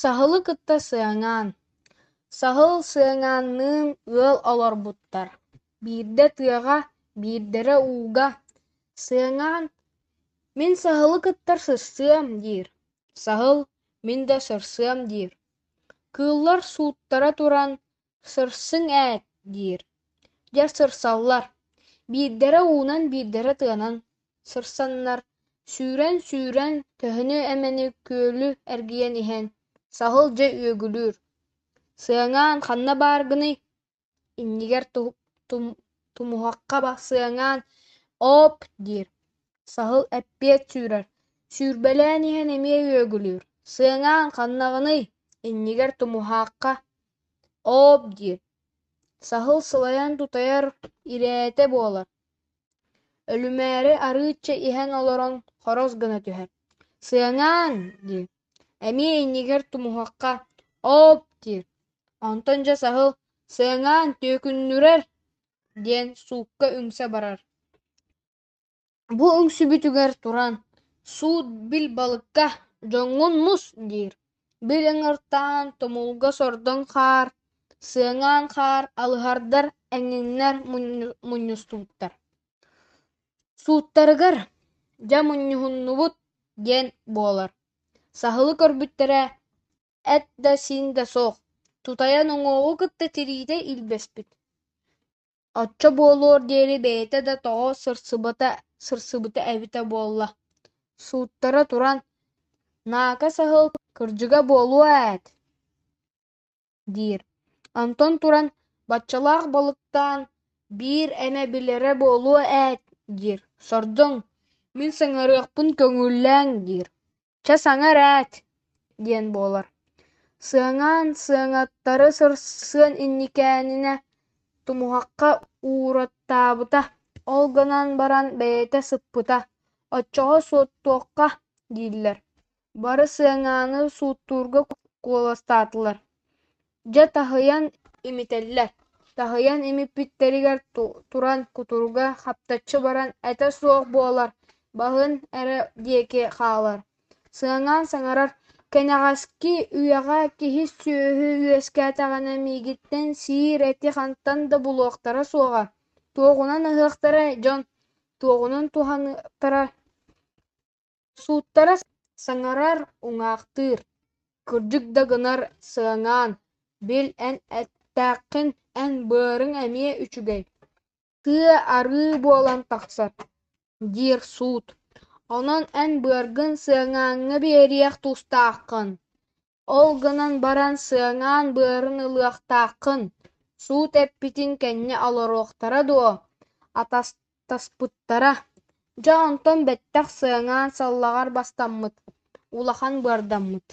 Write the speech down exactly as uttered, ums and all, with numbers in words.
Саһылы кытта Сыаҥаан Саһыл Сыаҥаанныын ыал олорбуттар, биирдэрэ тыаҕа, биирдэрэ ууга. Сыаҥаан: «Мин саһылы кытта сырсыам» диир, Саһыл: «Мин да сырсыам» диир. Кыыллар сууттара туран: «Сырсыҥ ээт» диир. Дьэ сырсаллар, биирдэрэ уунан, биирдэрэ тыанан сырсаннар, сүүрэн-сүүрэн төһөнү эмэни күөлү эргийэн иһэн, Саһыл дьэ үөгүлүүр: «Сыаҥаан, ханна бааргыный?» Иннигэр тумуһахха Сыаҥаан «Оп» диир, Саһыл эппиэт сүүрэр, сүүрбэлээн иһэн эмиэ үөгүлүүр: «Сыаҥаан, ханнаҕыный?» Иннигэр тумуһахха «Оп» диир, Саһыл сылайан тутайар ирээтэ буолар, өлүмээри арыычча иһэн олорон хорос гына түһэр: «Сыаҥаан» диир, эмиэ иннигэр тумуһахха «Оп» диир, онтон дьэ Саһыл: «Сыаҥаан түөкүннүрэр» диэн суукка үҥсэ барар. Бу үҥсүбүтүгэр туран: «Суут бил балыкка, дьоҥҥун мус» диир, бил ыҥыртаан тумулга сордоҥ хаар, сыаҥаан хаар, алыһардар эҥиннэр мунньустубуттар. Сууттарыгар: «Дьэ мунньуһуннубут» диэн буолар. Саһылы көрбүттэрэ эт да сиин да суох, тутайан уҥуоҕу кытта тириитэ илбэспит. Оччо буолуор диэри бэйэтэ да тоҕо сырсыбыта, сырсыбыта эбитэ буолла. Сууттара туран: «Наака саһыл кырдьыга буолуо ээт» диир. Онтон туран: «Баччалаах балыктаан биир эмэ билэрэ буолуо ээт» диир. Сордоҥ: «Мин саҥарыахпын көҥүллээҥ» диир. «Чэ саҥар ээт» диэн буолар. Сыаҥаан сыаҥааттары сырсыан инникээнинэ тумуһахха уураттаабыта, ол гынан баран бэйэтэ сыппыта, оччоҕо суоттуохха дииллэр. Бары Сыаҥааны сууттуурга куоластаатылар. Дьэ таһыйан имитэллэр, таһыйан имиппиттэригэр туран кутуруга хаптаччы баран этэ суох буолар, баһын эрэ диэки хаалар. Сыаҥаан саҥарар: «Кэнэҕэски үйэҕэ киһи-сүөһү үөскээтэҕинэ миигиттэн сиир эти хантан да булуохтара суоҕа, туоҕунан аһыахтарай дьон, туоҕунан туһаныахтарай?» Сууттара саҥарар, уҥаахтыыр: «Кырдьык да гынар Сыаҥаан, бил эн эттээххин, эн быарыҥ эмиэ үчүгэй, сыа арыы буолан тахсар» диир суут. «Онон эн быаргын Сыаҥааҥҥа биэриэх тустааххын, ол гынан баран Сыаҥаан быарын ылыахтааххын» Суут эппитин кэннэ олоруохтара дуо, атастаспыттара. Дьэ онтон бэттэх Сыаҥаан саллаҕар бастаммыт, улахан быардаммыт.